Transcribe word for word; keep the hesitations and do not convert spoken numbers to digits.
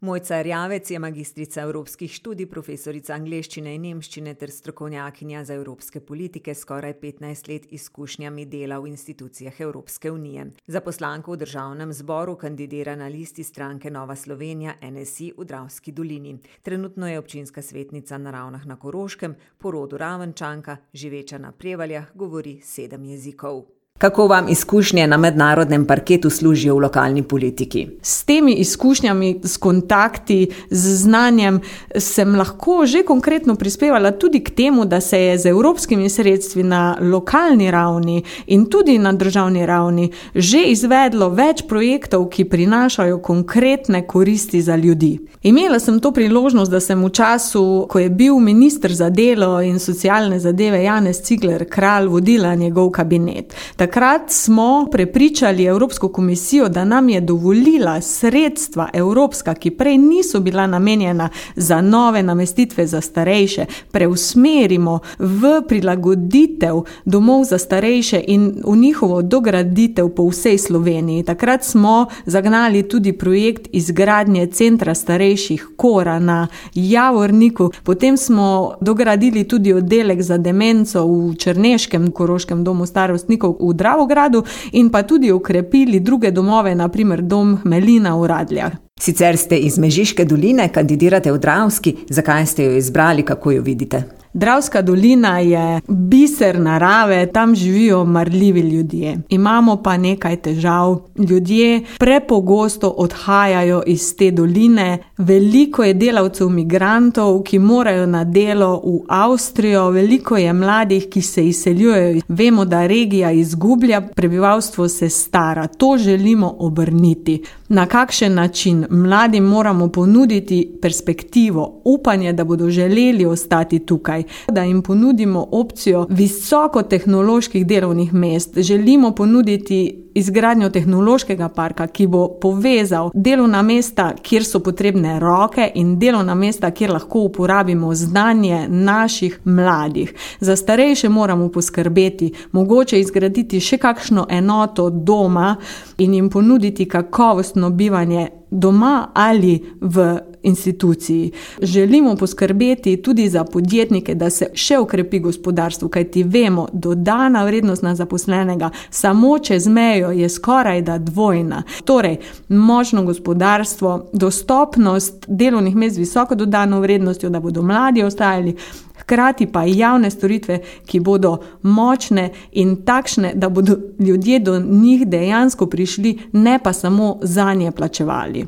Mojca Erjavec je magistrica evropskih študij, profesorica angleščine in nemščine ter strokovnjakinja za evropske politike s skoraj petnajst let izkušnjami dela v institucijah Evropske unije. Za poslanko v državnem zboru kandidira na listi stranke Nova Slovenija N S I v Dravski dolini. Trenutno je občinska svetnica na Ravnah na Koroškem, po rodu Ravenčanka, živeča na Prevaljah, govori sedem jezikov. Kako vam izkušnje na mednarodnem parketu služijo v lokalni politiki? S temi izkušnjami, s kontakti, z znanjem sem lahko že konkretno prispevala tudi k temu, da se je z evropskimi sredstvi na lokalni ravni in tudi na državni ravni že izvedlo več projektov, ki prinašajo konkretne koristi za ljudi. Imela sem to priložnost, da sem v času, ko je bil minister za delo in socialne zadeve Janez Cigler Kralj, vodila njegov kabinet. Takrat smo prepričali Evropsko komisijo, da nam je dovolila sredstva evropska, ki prej niso bila namenjena za nove namestitve za starejše, preusmerimo v prilagoditev domov za starejše in v njihovo dograditev po vsej Sloveniji. Takrat smo zagnali tudi projekt izgradnje centra starejših Kora na Javorniku. Potem smo dogradili tudi oddelek za demenco v Črneškem Koroškem domu starostnikov v Dravogradu in pa tudi okrepili druge domove, na primer dom Melina v Radljah. Sicer ste iz Mežiške doline, kandidirate v Dravski. Zakaj ste jo izbrali, kako jo vidite? Dravska dolina je biser narave, tam živijo marljivi ljudje. Imamo pa nekaj težav. Ljudje prepogosto odhajajo iz te doline. Veliko je delavcev migrantov, ki morajo na delo v Avstrijo. Veliko je mladih, ki se izseljujejo. Vemo, da regija izgublja, prebivalstvo se stara. To želimo obrniti. Na kakšen način? Mladim moramo ponuditi perspektivo, upanje, da bodo želeli ostati tukaj. Da jim ponudimo opcijo visokotehnoloških delovnih mest. Želimo ponuditi izgradnjo tehnološkega parka, ki bo povezal delovna mesta, kjer so potrebne roke, in delovna mesta, kjer lahko uporabimo znanje naših mladih. Za starejše moramo poskrbeti, mogoče izgraditi še kakšno enoto doma in jim ponuditi kakovostno bivanje doma ali v instituciji. Želimo poskrbeti tudi za podjetnike, da se še ukrepi gospodarstvo, kajti vemo, dodana vrednost na zaposlenega samo čez mejo je skoraj da dvojna. Torej, močno gospodarstvo, dostopnost delovnih mest z visoko dodano vrednostjo, da bodo mladi ostajali, hkrati pa javne storitve, ki bodo močne in takšne, da bodo ljudje do njih dejansko prišli, ne pa samo zanje plačevali.